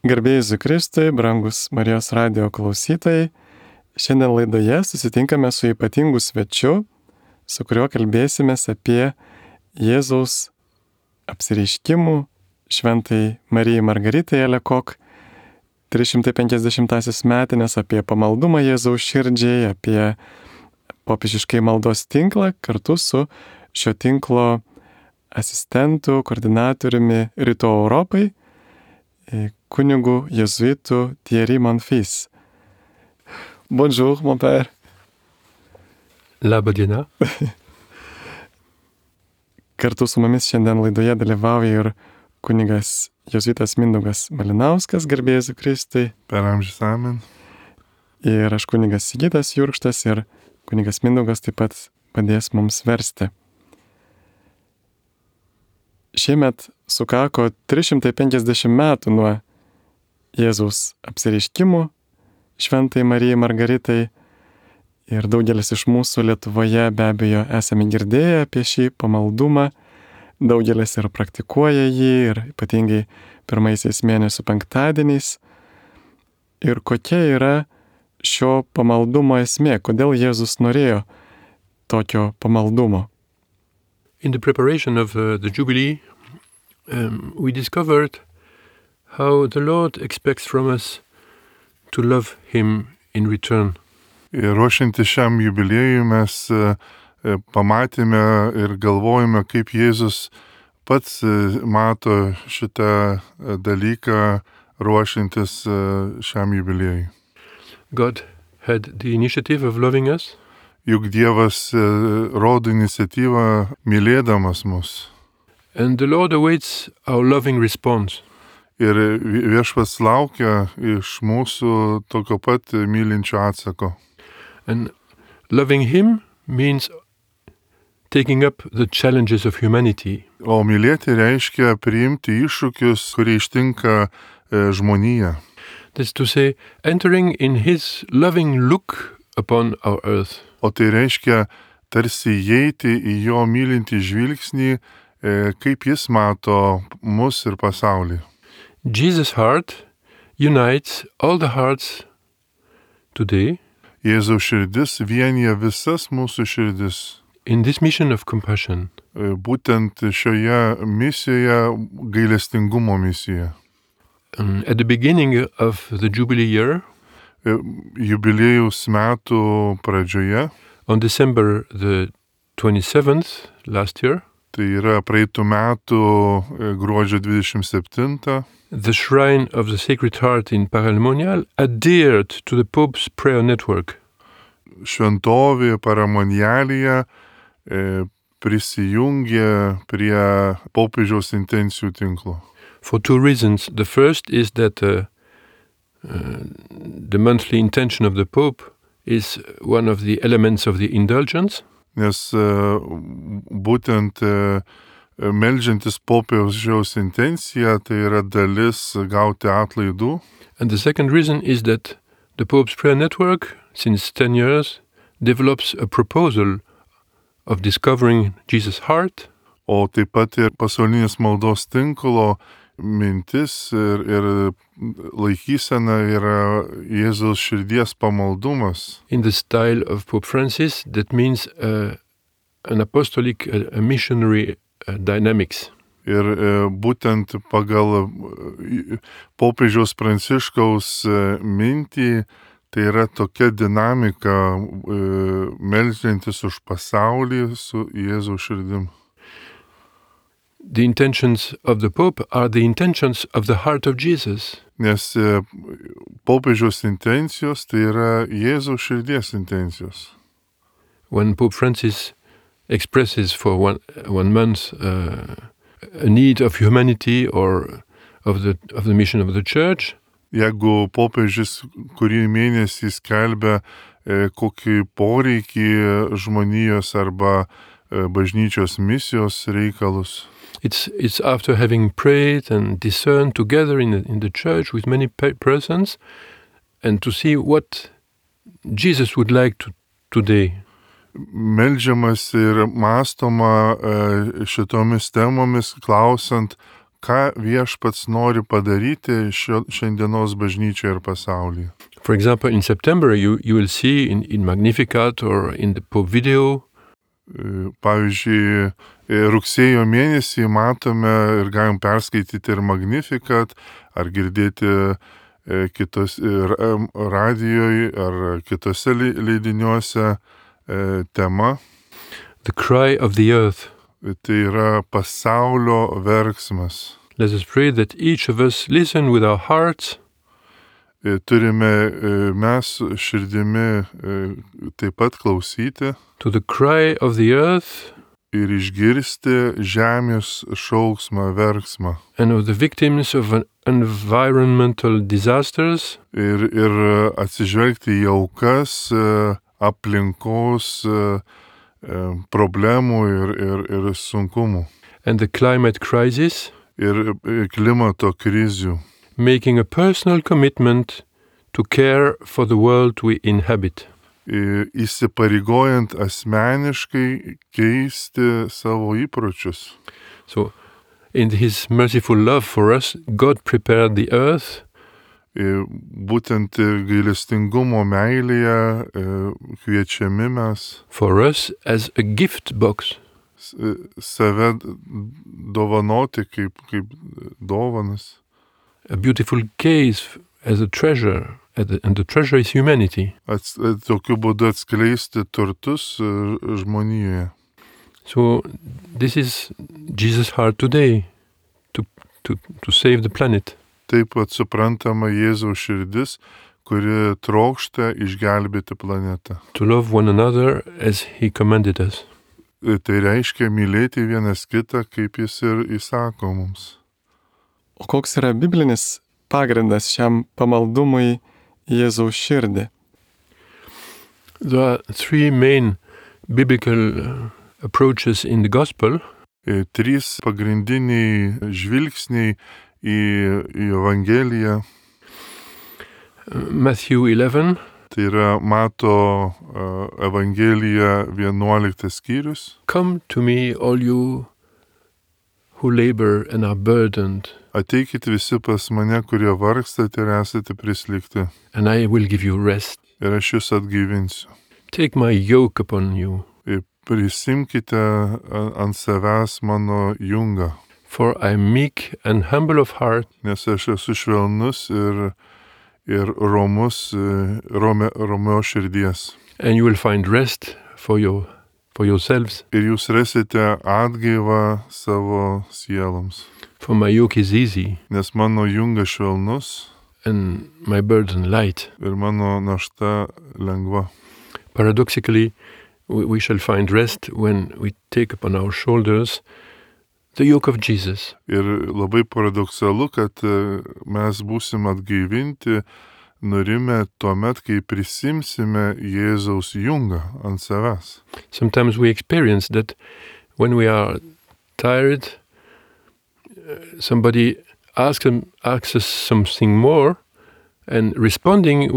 Garbėjai Jėzui Kristui, brangus Marijos radijo klausytojai, šiandien laidoje susitinkame su ypatingu svečiu, su kuriuo kalbėsimės apie Jėzaus apsireiškimų šventai Marijai Margaritai Alekok 350-asis metinės, apie pamaldumą Jėzaus širdžiai, apie popiežiškai maldos tinklą kartu su šio tinklo asistentu, koordinatoriumi Rytų Europai, kunigu jėzuitu Thierry Monfils. Bonjour, mon père. Labą dieną. Kartu su mumis šiandien laidoje dalyvauja ir kunigas jėzuitas Mindaugas Malinauskas, garbėjai Jėzui Kristui. Per amžius amen. Ir aš kunigas Sigitas Jurkštas ir kunigas Mindaugas taip pat padės mums versti. Šiemet sukako 350 metų nuo Jėzaus apsireiškimų šventai Marijai Margaritai ir daugelis iš mūsų Lietuvoje be abejo esame girdėję apie šį pamaldumą, daugelis ir praktikuoja jį ir ypatingai pirmaisiais mėnesių penktadieniais. Ir kokia yra šio pamaldumo esmė, kodėl Jėzus norėjo tokio pamaldumo? In the preparation of the Jubilee, we discovered how the Lord expects from us to love Him in return. Ir ruošiantis šiam jubiliejui mes pamatėme ir galvojame, kaip Jėzus pats mato šitą dalyką ruošiantis šiam jubiliejui. God had the initiative of loving us. Juk Dievas rodo iniciatyvą mylėdamas mus. And the Lord awaits our loving response. Ir Viešpats laukia iš mūsų tokio pat mylinčio atsako. And loving Him means taking up the challenges of humanity. O mylėti reiškia priimti iššūkius, kurie ištinka žmoniją. That's to say, entering in His loving look upon our earth. O tai reiškia tarsi įeiti į jo mylintį žvilgsnį, kaip jis mato mus ir pasaulį. Jesus' heart unites all the hearts today. Jėzaus širdis vienija visas mūsų širdis. In this mission of compassion. Būtent šioje misijoje, gailestingumo misijoje. At the beginning of the Jubilee year, jubiliejaus metų pradžioje, on December the 27th last year, tai yra praeitų metų gruodžio 27, the Shrine of the Sacred Heart in Paramonial adhered to the Pope's prayer network. Šventovė Paramonialyje prisijungė prie popiežiaus intencijų tinklo. For two reasons. The first is that the monthly intention of the Pope is one of the elements of the indulgence. Nes būtent meldžiantis popiežiaus intenciją, tai yra dalis gauti atlaidų. And the second reason is that the Pope's prayer network, since 10 years, develops a proposal of discovering Jesus' heart. O taip pat ir pasaulinis maldos tinklo mintis ir laikysena yra Jėzaus širdies pamaldumas. In the style of Pope Francis, that means an apostolic, a missionary dynamics. Ir būtent pagal popiežiaus Pranciškaus mintį, tai yra tokia dinamika meldžiantis už pasaulį su Jėzaus širdim. The intentions of the Pope are the intentions of the heart of Jesus. Nes popiežiaus intencijos tai yra Jėzaus širdies intencijos. When Pope Francis expresses for one month a need of humanity or of the mission of the Church, jeigu popiežius kurį mėnesį skelbia kokį poreikį žmonijos arba bažnyčios misijos reikalus, It's after having prayed and discerned together in the church with many persons, and to see what Jesus would like today. Meldžiamas ir mąstoma šitomis temomis, klausant, ką viešpats nori padaryti šiandienos bažnyčioje ir pasaulyje. For example, in September, you will see in Magnificat or in the Pope video, Pavyzdžiui, rugsėjo mėnesį matome ir galim perskaityti ir Magnificat, ar girdėti kitos radijoje ar kitose leidiniuose tema. the cry of the earth. Tai yra pasaulio verksmas. Let us pray that each of us listen with our hearts Turime mes širdimi taip pat klausyti to the cry of the earth ir išgirsti žemės šauksmą, verksmą. and of the victims of environmental disasters Ir atsižvelgti į aukas, aplinkos problemų ir sunkumų. and the climate crisis, Ir klimato krizių. making a personal commitment to care for the world we inhabit. Įsipareigojant asmeniškai keisti savo įpročius. So, in His merciful love for us, God prepared the earth Būtent gailestingumo meilėje kviečiami mes for us as a gift box. save dovanoti kaip dovanas. A beautiful case as a treasure, and the treasure is humanity. Tokiu būdu atskleisti turtus žmonijoje. So this is Jesus' heart today, to save the planet. Taip pat suprantama Jėzaus širdis, kuri trokšta išgelbėti planetą. To love one another as He commanded us. Tai reiškia mylėti vienas kitą, kaip Jis ir įsako mums. O koks yra biblinis pagrindas šiam pamaldumui į Jėzaus širdį? There are three main biblical approaches in the gospel. Trys pagrindiniai žvilgsniai į Evangeliją. Matthew 11, Tai yra Mato Evangelija 11 skyrius. come to me, all you who labor and are burdened, Ateikit visi pas mane, kurie vargstate ir esate prislėgti, and I will give you rest. ir aš jūs atgaivinsiu. Take my yoke upon you, Prisimkite ant savęs mano jungą, for I am meek and humble of heart, nes aš esu švelnus ir romios širdies. and you will find rest for yourselves. Ir jūs rasite atgaivą savo sieloms, For my yoke is easy nes mano jungas švelnus and my burden light. ir mano našta lengva. Paradoxically, we shall find rest when we take upon our shoulders the yoke of Jesus. Ir labai paradoksalu, kad mes būsim atgaivinti, nurimę tuomet, kai prisimsime Jėzaus jungą ant savęs. Sometimes we experience that when we are tired, somebody asks us something more, and responding,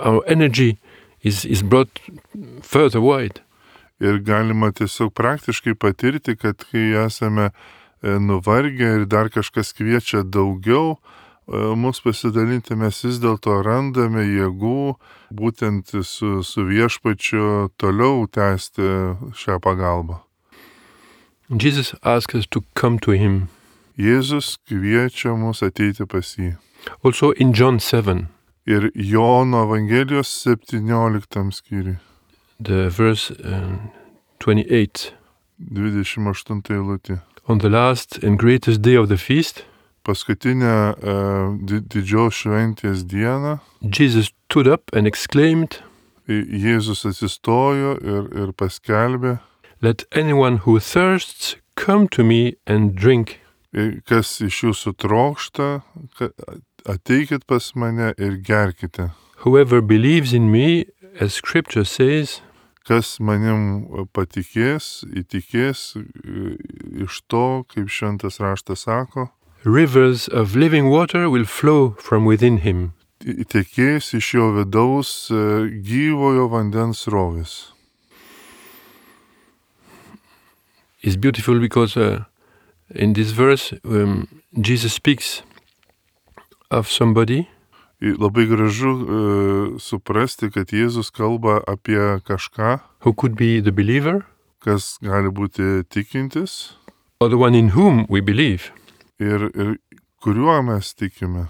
our energy is brought further wide. Ir galima tiesiog praktiškai patirti, kad kai esame nuvargę ir dar kažkas kviečia daugiau, mus pasidalinti, mes vis dėlto randame jėgų būtent su viešpačiu toliau tęsti šią pagalbą. Jesus asks us to come to Him. Jėzus kviečia mus ateiti pas jį. Also in John 7, Ir Jono Evangelijos 17 skyriui, the verse 28. 28 eilutė. On the last and greatest day of the feast, Paskutinę didžios šventės dieną Jesus stood up and exclaimed, Jėzus atsistojo ir paskelbė, "Let anyone who thirsts come to me and drink. kas iš jūsų trokšta, ateikit pas mane ir gerkite. Whoever believes in me, as Scripture says, Kas manim patikės, įtikės iš to, kaip šventas raštas sako, rivers of living water will flow from within him." tekės iš jo vidaus gyvojo vandens srovės. It's beautiful because In this verse, Jesus speaks of somebody Labai gražu suprasti, kad Jėzus kalba apie kažką, who could be the believer kas gali būti tikintis or the one in whom we believe. ir kuriuo mes tikime.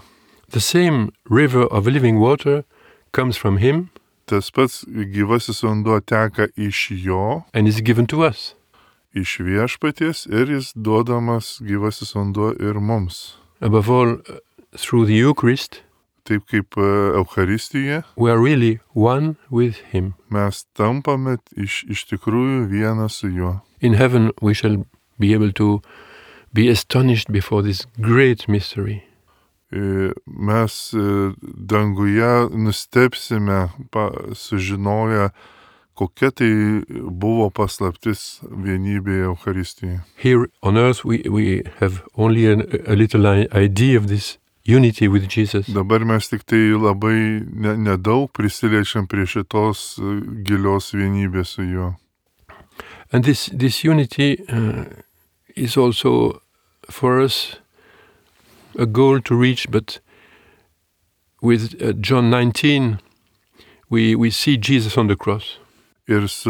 The same river of living water comes from him Tas pats gyvasis vanduo teka iš jo, and is given to us. iš viešpaties ir jis duodamas gyvasis vanduo ir mums. Above all, through the Eucharist, Taip kaip Eucharistija, we are really one with him. mes tampame iš tikrųjų vieną su juo. In heaven, we shall be able to be astonished before this great mystery. Mes danguje nustebsime, sužinoję, kokia tai buvo paslaptis vienybėje Eucharistijoje. Here on earth, we have only a little idea of this unity with Jesus. Dabar mes tik tai labai nedaug prisiliečiam prie šitos gilios vienybės su juo. And this unity is also for us a goal to reach, but with John 19, we see Jesus on the cross. Ir su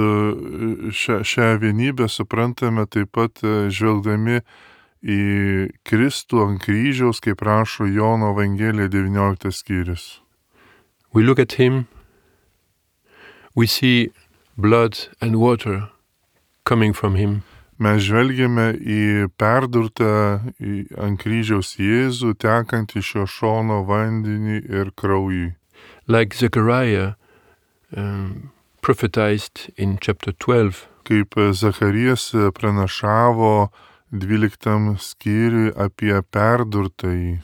šią vienybę suprantame taip pat žvelgdami į Kristų ant kryžiaus, kaip rašo Jono Evangelija 19 skyrius. We look at him, we see blood and water coming from him. Mes žvelgiame į perdurtą ant kryžiaus Jėzų, tekant iš jo šono vandenį ir kraujį. Like Zechariah prophetized in chapter 12. Kaip Zacharijas pranašavo 12 skyriui apie perdurtąjį.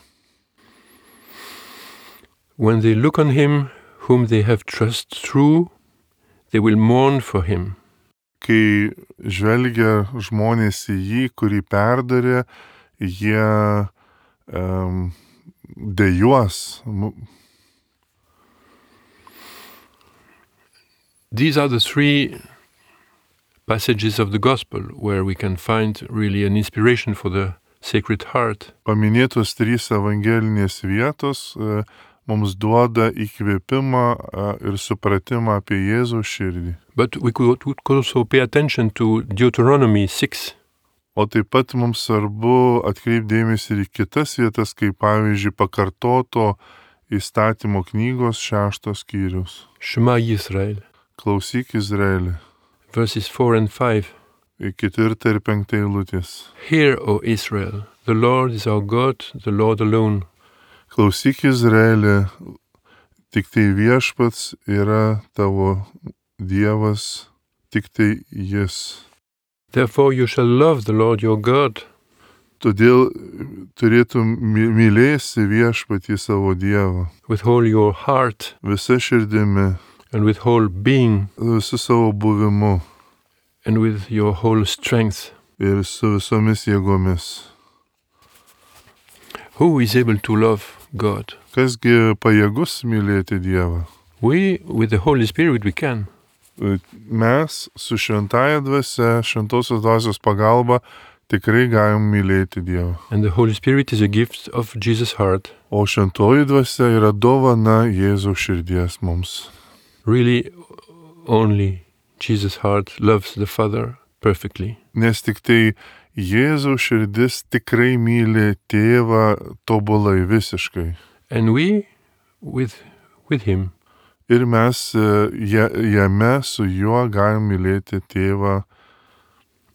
When they look on him whom they have trust through, they will mourn for him. Kai žvelgia žmonės į jį, kurį perdarė, jie dejuos. These are the three passages of the Gospel where we can find really an inspiration for the Sacred Heart. Paminėtos 3 evangelinės vietos mums duoda įkvėpimą ir supratimą apie Jėzaus širdį. But we could also pay attention to Deuteronomy 6. O taip pat mums svarbu atkreipdėmėsi ir į kitas vietas, kaip pavyzdžiui pakartoto įstatymo knygos 6 skyrius. Shema Yisrael. Klausyk Izraeli. Verses 4 and 5. 4 ir 5 eilutės. Hear, O Israel, the Lord is our God, the Lord alone. Klausyk Izraeli, tik tai viešpats yra tavo Dievas, tik tai jis. Therefore you shall love the Lord your God. Todėl turėtum mylėsi viešpatį savo Dievą. With all your heart. Visa širdimi. And with whole being. Visu savo buvimu. And with your whole strength. Ir su visomis jėgomis. Who is able to love God? Kasgi pajėgus mylėti Dievą? We, with the Holy Spirit, we can. Mes su šventąja dvasia, šventosios dvasios pagalba tikrai galim mylėti Dievą. And the Holy Spirit is a gift of Jesus' heart. O šventoji dvasia yra dovana Jėzaus širdies mums. Really, only Jesus' heart loves the Father perfectly. Nes tik tai Jėzaus širdis tikrai myli tėvą tobulai visiškai. And we, with him. Ir mes jame su juo galim mylėti tėvą.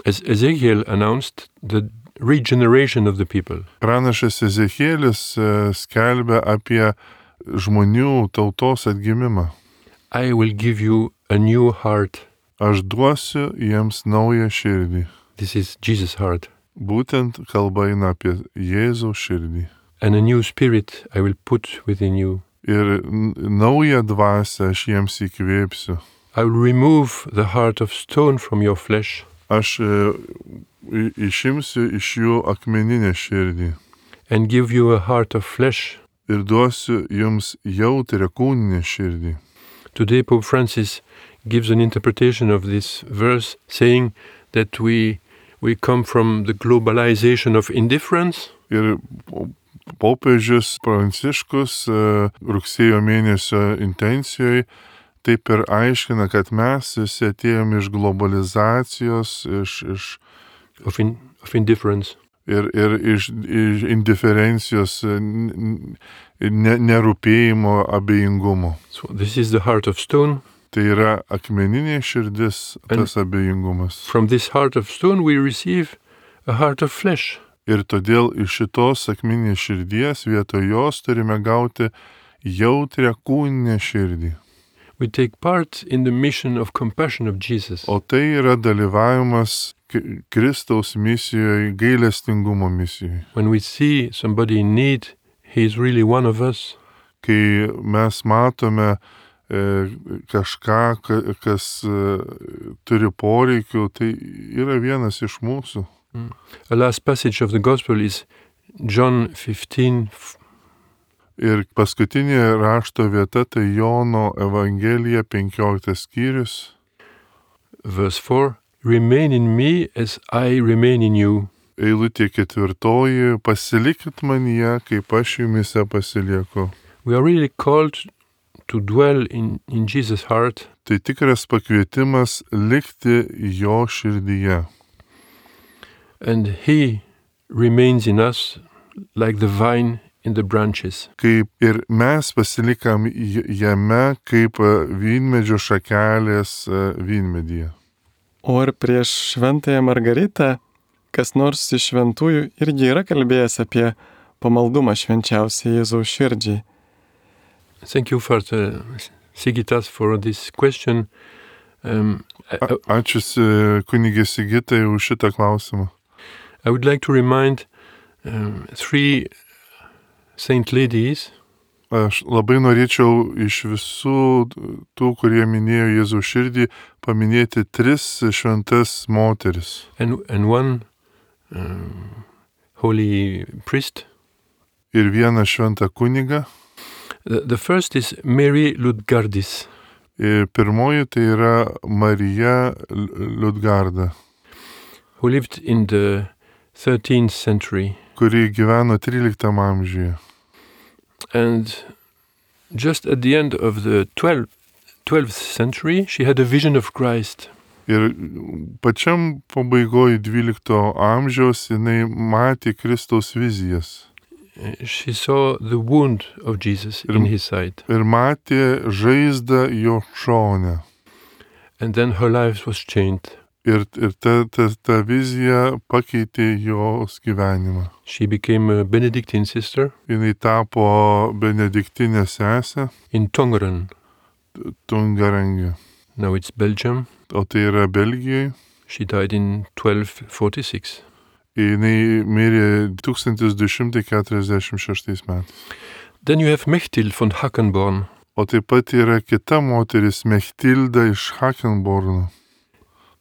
As Ezekiel announced the regeneration of the people. Pranašas Ezekielis skelbia apie žmonių tautos atgimimą. I will give you a new heart. Aš duosiu jiems naują širdį. This is Jesus' heart. Būtent kalba eina apie Jėzaus širdį. And a new spirit I will put within you. Ir naują dvasią aš jiems įkvėpsiu. I will remove the heart of stone from your flesh. Aš išimsiu iš jų akmeninę širdį. And give you a heart of flesh. Ir duosiu jums jautrią kūninę širdį. Today Pope Francis gives an interpretation of this verse saying that we We come from the globalization of indifference. Ir popiežius Pranciškus rugsėjo mėnesio intencijoje taip ir aiškina, kad mes visi atėjom iš globalizacijos, iš Of indifference. ir iš indiferencijos, nerūpėjimo, abejingumo. So this is the heart of stone. Tai yra akmeninė širdis, tas abejingumas. From this heart of stone we receive a heart of flesh. Ir todėl iš šitos akmeninės širdies vietoj jos turime gauti jautrią kūninę širdį. We take part in the mission of compassion of Jesus. O tai yra dalyvavimas Kristaus misijoje, gailestingumo misijoje. When we see somebody in need, he is really one of us. Kai mes matome kažką, kas turi poreikių, tai yra vienas iš mūsų. The last passage of the Gospel is John 15. Ir paskutinė rašto vieta tai Jono Evangelija 15 skyrius. Verse 4. Remain in me as I remain in you. Eilutė 4. Pasilikit manyje, kaip aš jumise pasilieku. We are really called to dwell in Jesus' heart. Tai tikras pakvietimas likti jo širdyje. And he remains in us like the vine in the branches. Kaip ir mes pasilikam jame, kaip vynmedžio šakelės vynmedyje. O ir prieš šventąją Margaritą, kas nors iš šventųjų irgi yra kalbėjęs apie pamaldumą švenčiausiai Jėzaus širdžiai. Thank you, Father Sigitas, for this question. Ačiū kunigė Sigitai už šitą klausimą. I would like to remind three saint ladies. Aš labai norėčiau iš visų tų, kurie minėjo Jėzaus širdį, paminėti 3 šventas moteris. And one holy priest. Ir vieną šventą kunigą. The first is Mary Ludgardis. Ir pirmoji tai yra Marija Liudgarda, who lived in the 13th century. Kuri gyveno 13 amžiuje. And just at the end of the 12th century, she had a vision of Christ. Ir pačiam pabaigoje 12 amžiaus jinai matė Kristaus vizijas. She saw the wound of Jesus in his side. Ir matė žaizdą jo šone. And then her life was changed. Ir ta vizija pakeitė jos gyvenimą. She became a Benedictine sister. Jinai tapo benediktinė sesė. In Tongeren. Tungarangė. Now it's Belgium. O tai yra Belgijoje. She died in 1246. Jinai mirė 1246 metais. Then you have Mechtil von Hackenborn. O taip pat yra kita moteris, Mechtilda iš Hackenborno.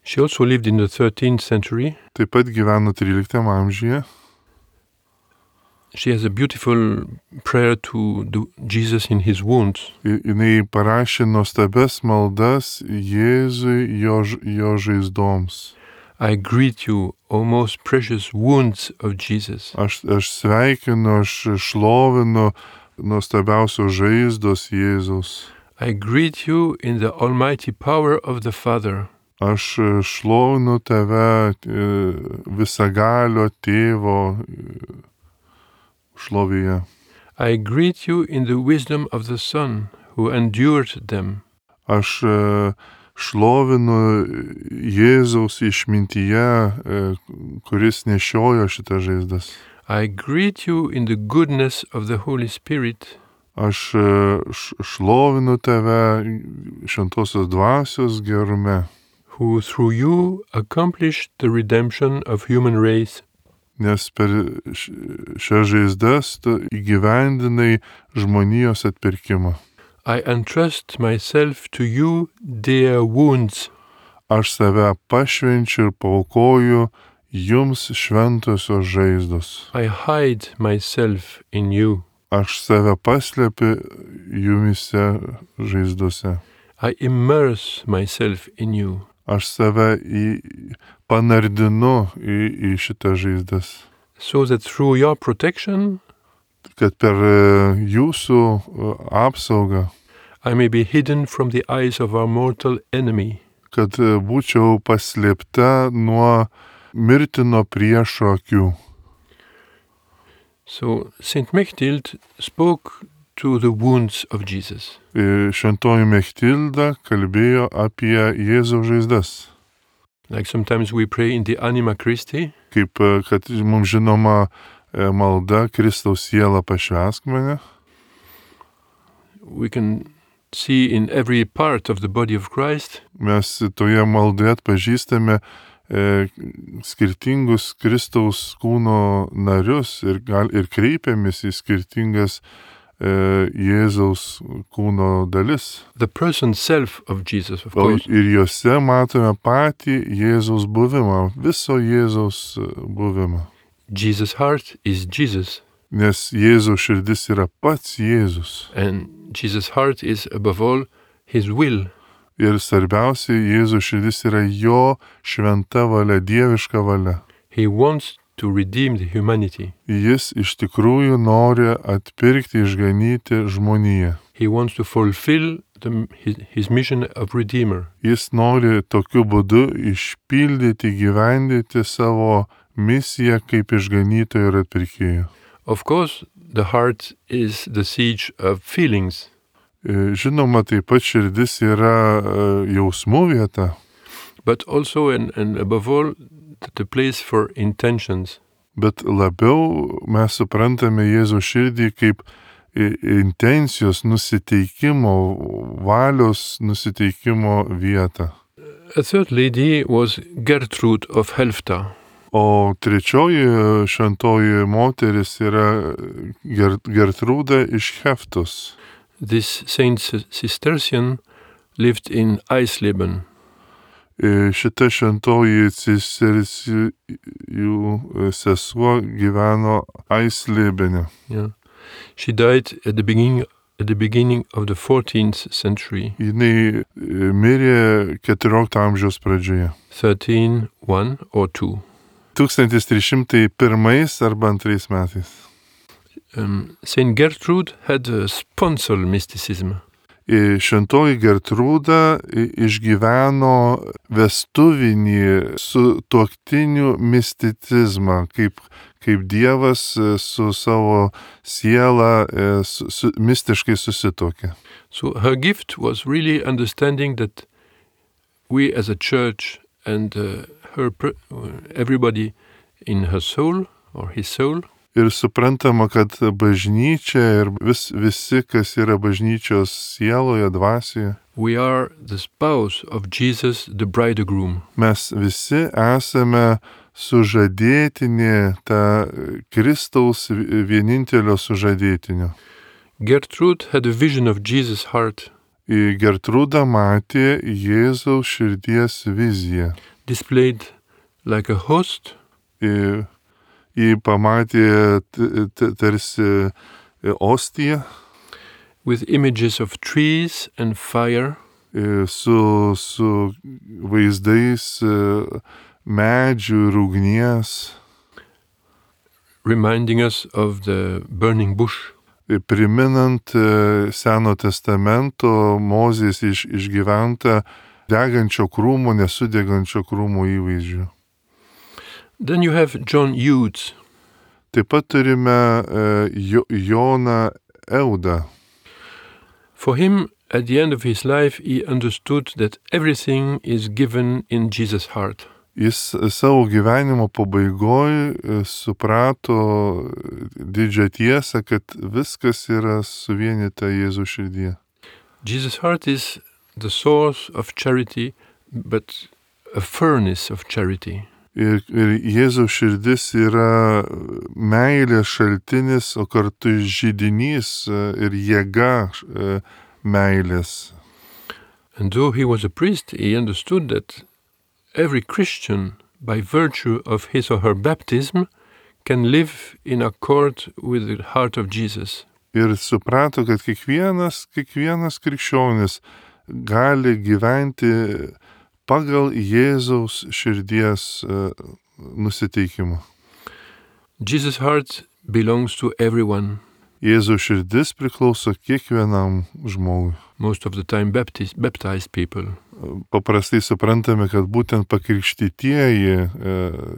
She also lived in the 13th century. Taip pat gyveno 13 amžiuje. She has a beautiful prayer to Jesus in his wounds. Jinai parašė nuostabias maldas Jėzui jo žaizdoms. I greet you, O most precious wounds of Jesus. Aš sveikinu, aš šlovinu nuostabiausios žaizdos Jėzaus. I greet you in the almighty power of the Father. Aš šlovinu tave visagalio tėvo šlovėje. I greet you in the wisdom of the Son who endured them. Aš šlovinu Jėzaus išmintyje, kuris nešiojo šitas žaizdas. I greet you in the goodness of the Holy Spirit. Aš šlovinu tave šventosios dvasios gerume. Who through you accomplished the redemption of human race. Nes per šias žaizdas tu įgyvendinai žmonijos atpirkimą. I entrust myself to you, dear wounds. Aš save pašvenčiu ir paaukoju jums šventosios žaizdos. I hide myself in you. Aš save paslepiu jumise žaizdose. I immerse myself in you. Aš save panardinu į šitą žaizdas. so that through your protection Kad per jūsų apsaugą, I may be hidden from the eyes of our mortal enemy. kad būčiau paslėpta nuo mirtino priešo akių. So Saint Mechthild spoke to the wounds of Jesus. Šventoji Mechtilda kalbėjo apie Jėzaus žaizdas. Like sometimes we pray in the Anima Christi, Kaip, kad mums žinoma malda Kristaus siela pašvęsk mane. we can see in every part of the body of Christ Mes toje maldoje atpažįstame skirtingus Kristaus kūno narius ir kreipiamės į skirtingas Jėzaus kūno dalis. the person self of Jesus, of course. Ir juose matome patį Jėzaus buvimą, viso Jėzaus buvimą. Jesus' heart is Jesus, Nes Jėzaus širdis yra pats Jėzus. and Jesus' heart is above all his will. Ir svarbiausia, Jėzaus širdis yra jo šventa valia, dieviška valia. He wants to redeem the humanity. Jis iš tikrųjų nori atpirkti, išganyti žmoniją. He wants to fulfill his mission of Redeemer. Jis nori tokiu būdu išpildyti, gyvendyti savo misiją kaip išganytojo ir atpirkėjo. Of course, the heart is the siege of feelings, Žinoma, taip pat širdis yra jausmų vieta, but also and above all the place for intentions. bet labiau mes suprantame Jėzaus širdį kaip intencijos, nusiteikimo, valios nusiteikimo vietą. A third lady was Gertrude of Helfta. O trečioji šventoji moteris yra Gertrūda iš Heftos. This Saint Cistercian lived in Eisleben. Šita šventoji cistercijų sesuo gyveno Eislebene. Yeah. She died at the beginning of the 14th century. Jinai mirė 14 amžiaus pradžioje. 1301 or 2. 1301 arba 2 metais. Saint Gertrude had a sponsal mysticism. Šventoji Gertrūda išgyveno vestuvinį sutuoktinių misticizmą, kaip Dievas su savo siela mistiškai susituokė. So her gift was really understanding that we as a church and everybody in her soul or his soul, Ir suprantama, kad bažnyčia ir visi, kas yra bažnyčios sieloje, dvasioje, we are the spouse of Jesus, the bridegroom. mes visi esame sužadėtinė, ta Kristaus vienintelio sužadėtinio. Gertrude had a vision of Jesus' heart, Gertrūda matė Jėzaus širdies viziją. displayed like a host, Ji pamatė tarsi ostiją with images of trees and fire, su vaizdais medžių ir ugnies, reminding us of the burning bush. priminant Seno testamento Mozės išgyventą degančio krūmo, nesudegančio krūmo įvaizdžių. Then you have John Eudes. Taip pat turime Joną Eudą. For him, at the end of his life, he understood that everything is given in Jesus' heart. Jis savo gyvenimo pabaigoje suprato didžią tiesą, kad viskas yra suvienyta Jėzaus širdyje. Jesus' heart is the source of charity, but a furnace of charity. Ir Jėzaus širdis yra meilės šaltinis, o kartu židinys ir jėga meilės. And though he was a priest, he understood that every Christian, by virtue of his or her baptism, can live in accord with the heart of Jesus. Ir suprato, kad kiekvienas krikščionis gali gyventi pagal Jėzaus širdies nusiteikimą. Jesus' heart belongs to everyone, Jėzaus širdis priklauso kiekvienam žmogui. most of the time baptized people. Paprastai suprantame, kad būtent pakrikštytieji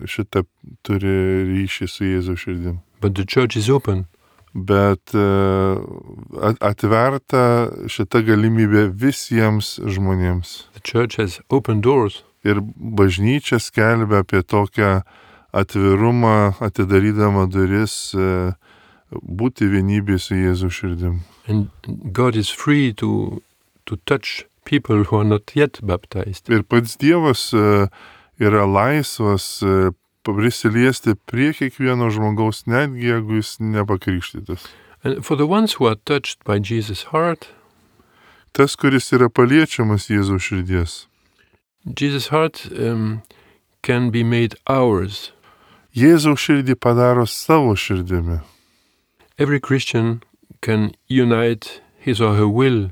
šitą turi ryšį su Jėzaus širdim. But the church is open. Bet atverta šita galimybė visiems žmonėms. The church has open doors. Ir bažnyčia skelbia apie tokią atvirumą, atidarydama duris, būti vienybėje su Jėzaus širdim. And God is free to touch people who are not yet baptized. Ir pats Dievas yra laisvas prisiliesti prie kiekvieno žmogaus, netgi jeigu jis nepakrikštytas. And for the ones who are touched by Jesus' heart, Tas, kuris yra paliečiamas Jėzaus širdies. Jesus' heart can be made ours. Jėzaus širdį padaro savo širdimi. Every Christian can unite his or her will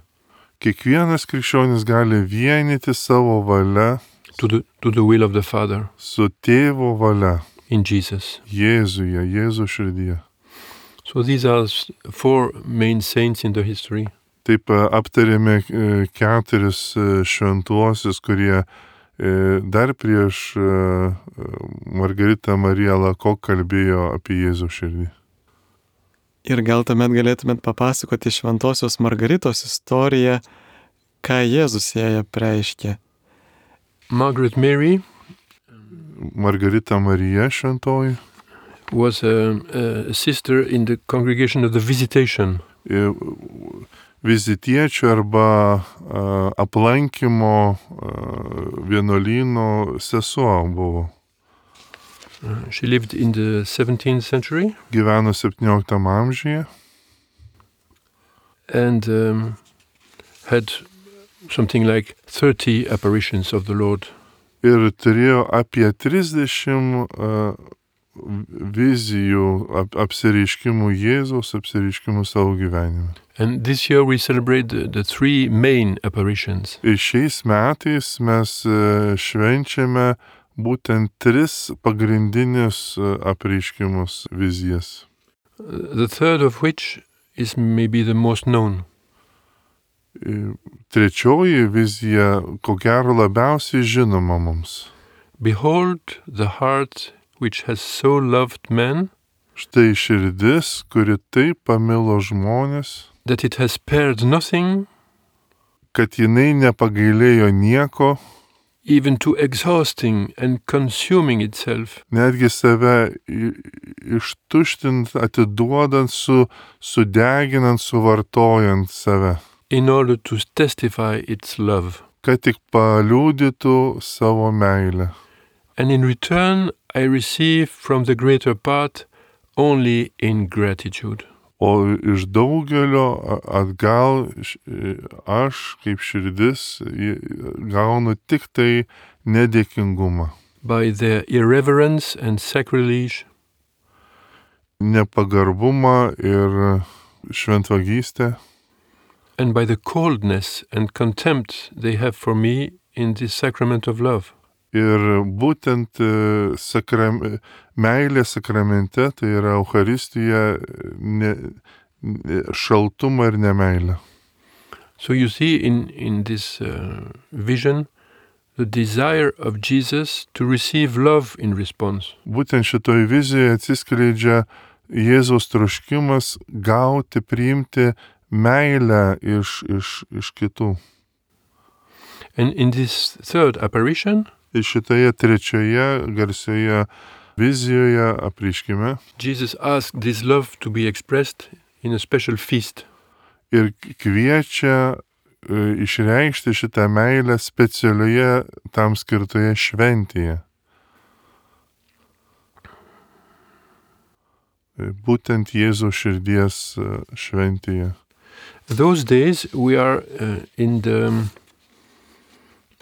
Kiekvienas krikščionis gali vienyti savo valia to the will of the Father su tėvo valia in Jesus. Jėzuje, Jėzaus širdyje. So these are four main saints in the history. Taip aptarėme 4 šventuosius, kurie dar prieš Margaritą Mariją Lako kalbėjo apie Jėzaus širdį. Ir gal tuomet galėtumėt papasakoti šventosios Margaritos istoriją, ką Jėzus jai apreiškė. Margaret Mary Margarita Marija šventoji was a sister in the congregation of the Visitation. Vizitiečių arba aplankymo vienuolyno sesuo buvo. She lived in the 17th century Gyveno 17 amžiuje and had something like 30 apparitions of the Lord. ir turėjo apie 30 vizijų, apsireiškimų Jėzaus, apsireiškimų savo gyvenime. And this year we celebrate the three main apparitions. Ir šiais metais mes švenčiame būtent 3 pagrindinius apreiškimus, vizijas. The third of which is maybe the most known. Trečioji vizija, ko gero labiausiai žinoma mums. Behold the heart which has so loved man Štai širdis, kuri taip pamilo žmonės, that it has spared nothing, kad jinai nepagailėjo nieko, even to exhausting and consuming itself, netgi save ištuštint, atiduodant, sudeginant, suvartojant save, in order to testify its love. kad tik paliudytų savo meilę. And in return, I receive from the greater part only ingratitude. O iš daugelio atgal aš, kaip širdis, gaunu tik tai nedėkingumą. By their irreverence and sacrilege, Nepagarbumą ir šventvagystę. and by the coldness and contempt they have for me in this sacrament of love. Ir būtent meilė sakramente, tai yra Eucharistija, šaltumą ir nemeilę. So you see in this vision the desire of Jesus to receive love in response. Būtent šitoj vizijoje atsiskleidžia Jėzaus troškimas gauti, priimti meilę iš kitų. And in this third apparition, Ir šitoje trečioje garsioje vizijoje apreiškime Jesus asked this love to be expressed in a special feast. ir kviečia išreikšti šitą meilę specialioje tam skirtoje šventėje. Būtent Jėzaus širdies šventėje. Those days we are in the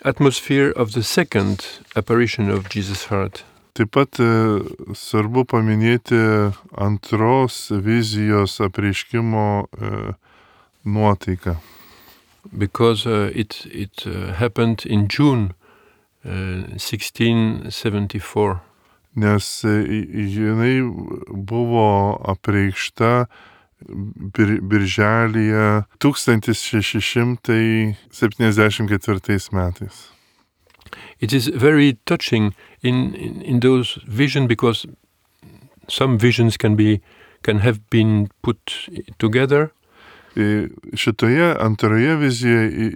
atmosphere of the second apparition of Jesus' heart. Taip pat svarbu paminėti antros vizijos apreiškimo nuotaiką. Because it happened in June 1674. Nes jinai buvo apreikšta birželyje 1674 metais. It is very touching in those visions, because some visions can have been put together. Šitoje antroje vizijoje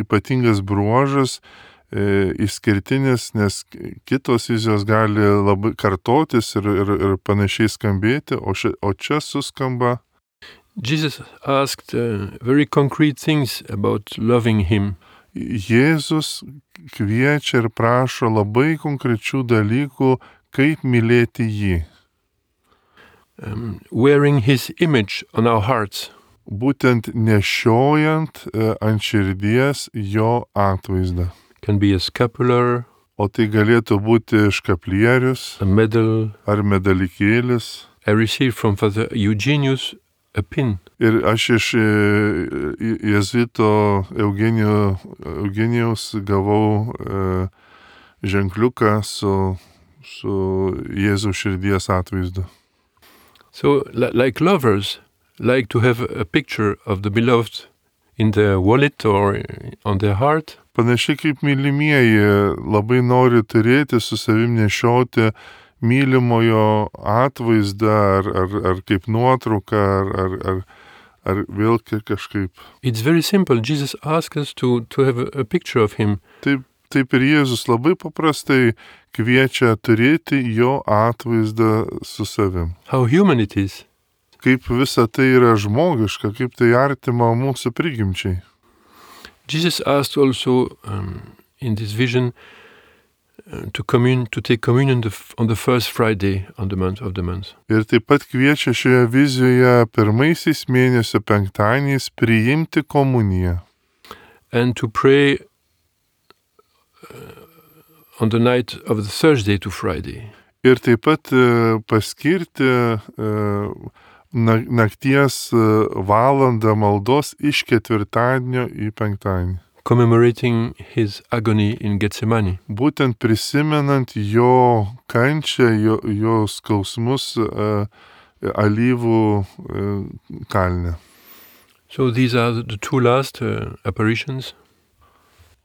ypatingas bruožas, išskirtinis, nes kitos vizijos gali labai kartotis ir panašiai skambėti, o čia suskamba. Jesus asked very concrete things about loving him. Jėzus kviečia ir prašo labai konkrečių dalykų, kaip mylėti jį. Wearing his image on our hearts. Būtent nešiojant ant širdies jo atvaizdą. Can be a scapular, O tai galėtų būti škaplierius a medal. ar medalikėlis. I received from Father Eugenius a pin. Ir aš iš jėzuito Eugenijaus gavau ženkliuką su Jėzaus širdies atvaizdu. So, like lovers, like to have a picture of the beloved in their wallet or on their heart. Panašiai kaip mylimieji labai nori turėti su savim nešioti mylimojo atvaizdą ar kaip nuotrauką ar vėl kažkaip. It's very simple. Jesus asks us to have a picture of him. Taip ir Jėzus labai paprastai kviečia turėti jo atvaizdą su savim. How human it is. Kaip visa tai yra žmogiška, kaip tai artima mūsų prigimčiai. Jesus asked also in this vision to take communion on the first Friday of the month. Ir taip pat kviečia šioje vizijoje pirmaisiais mėnesio penktadieniais priimti komuniją. And to pray on the night of the Thursday to Friday. Ir taip pat paskirti nakties valandą maldos iš ketvirtadienio į penktadienį. Commemorating his agony in Gethsemane. Būtent prisimenant jo kančią, jo skausmus alyvų kalne. So these are the two last apparitions.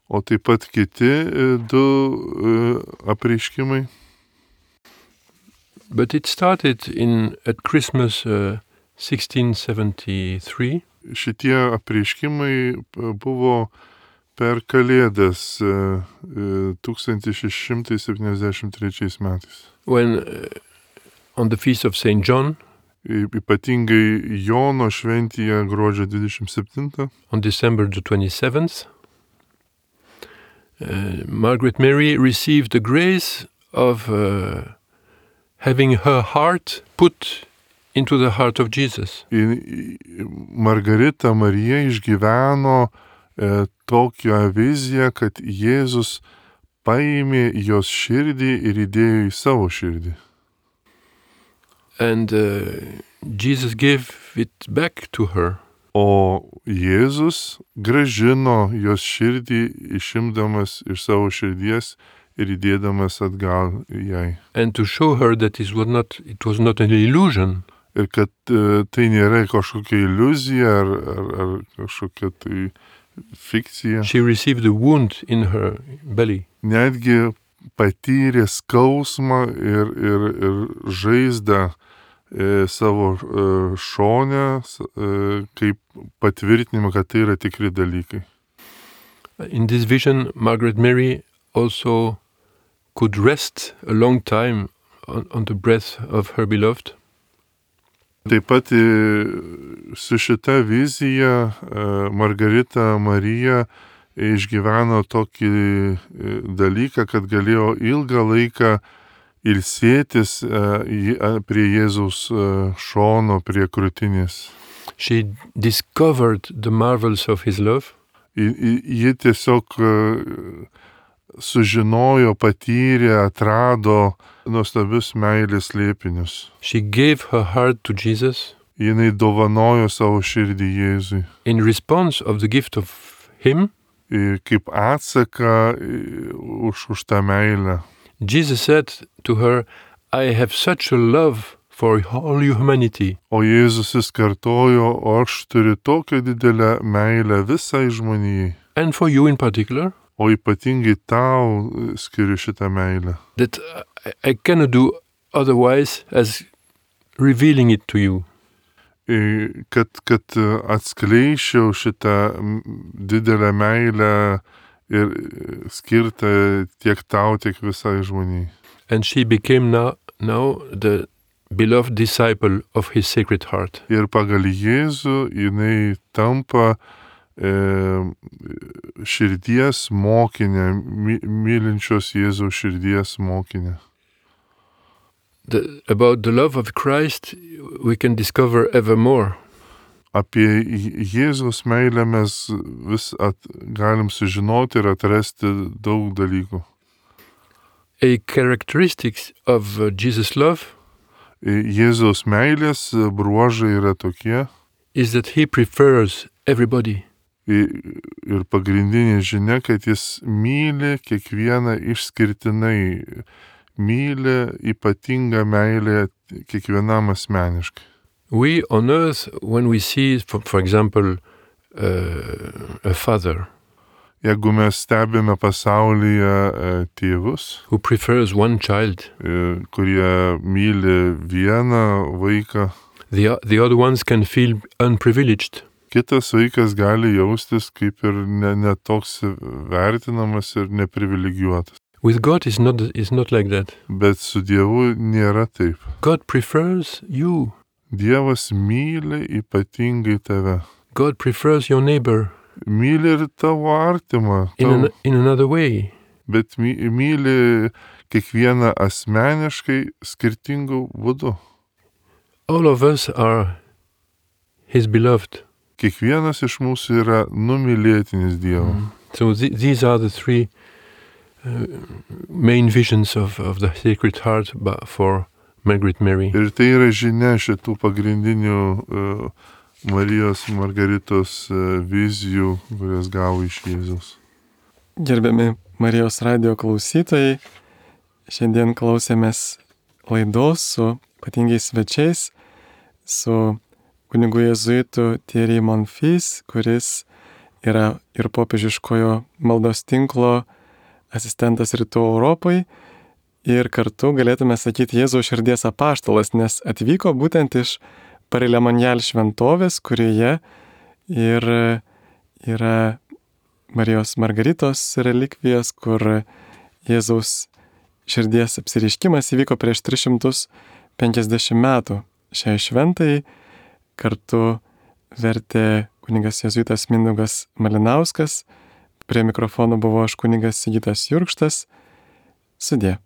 O taip pat kiti du apreiškimai. But it started at Christmas 1673. Šitie apreiškimai buvo per Kalėdas 1673 metais. When on the feast of Saint John, ypatingai Jono šventėje gruodžio 27. On December the 27th, Margaret Mary received the grace of having her heart put into the heart of Jesus. Margarita Marija išgyveno tokią viziją, kad Jėzus paėmė jos širdį ir įdėjo į savo širdį. And Jesus gave it back to her. O Jėzus grąžino jos širdį, išimdamas iš savo širdies ir įdėdamas atgal jai. And to show her that it was not an illusion. Ir kad tai nėra kažkokia iliuzija ar kažkokia tai fikcija. She received a wound in her belly. Netgi patyrė skausmą ir žaizdą savo šone, kaip patvirtinimą, kad tai yra tikri dalykai. In this vision, Margaret Mary also could rest a long time on the breath of her beloved. Taip pat su šita vizija Margarita Marija išgyveno tokį dalyką, kad galėjo ilgą laiką ilsėtis prie Jėzaus šono, prie krūtinės. She discovered the marvels of his love. Ji tiesiog sužinojo, patyrė, atrado nuostabius meilės slėpinius. She gave her heart to Jesus. Jinai dovanojo savo širdį Jėzui. In response of the gift of him, kaip atsaką už tą meilę. Jesus said to her, I have such a love for all humanity. O Jėzus jis kartojo, o aš turiu tokią didelę meilę visai žmonijai. And for you in particular, O ypatingai tau skiriu šitą meilę. that I cannot do otherwise as revealing it to you. Kad atskleičiau šitą didelę meilę ir skirtą tiek tau, tiek visai žmonijai. And she became now the beloved disciple of his Sacred Heart. Ir pagal Jėzų jinai tampa širdies mokinė, mylinčios Jėzaus širdies mokinė. About the love of Christ, we can discover ever more. Apie Jėzaus meilę mes vis galim sužinoti ir atrasti daug dalykų. A characteristic of Jesus' love Jėzaus meilės bruožai yra tokie. is that he prefers everybody. Ir pagrindinė žinia, kad jis myli kiekvieną išskirtinai, myli ypatingą meilę kiekvienam asmeniškai. We on earth, when we see, for example, a father Jeigu mes stebime pasaulyje tėvus, who prefers one child, kurie myli vieną vaiką, the other ones can feel unprivileged. kitas vaikas gali jaustis kaip ir netoks vertinamas ir neprivilegijuotas. With God is not like that. Bet su Dievu nėra taip. God prefers you. Dievas myli ypatingai tave. God prefers your neighbor Myli ir tavo artimą, in another way. bet myli kiekvieną asmeniškai skirtingų būdų. All of us are his beloved. Kiekvienas iš mūsų yra numylėtinis Dievo. So these are the three main visions of the Sacred Heart for Margaret Mary. Ir tai yra žinia šitų pagrindinių Marijos Margaritos vizijų, kurias gavo iš Jėzaus. Gerbiami Marijos radio klausytojai, šiandien klausėmės laidos su ypatingiais svečiais, su kunigu jėzuitu Thierry Monfils, kuris yra ir popiežiškojo maldos tinklo asistentas Rytų Europai ir kartu galėtume sakyti Jėzaus širdies apaštalas, nes atvyko būtent iš Paris-le-Monial šventovės, kurioje ir yra Marijos Margaritos relikvijos, kur Jėzaus širdies apsireiškimas įvyko prieš 350 metų. Šiai šventai kartu vertė kunigas jėzuitas Mindaugas Malinauskas, prie mikrofono buvo aš kunigas Sigitas Jurkštas. Sudie.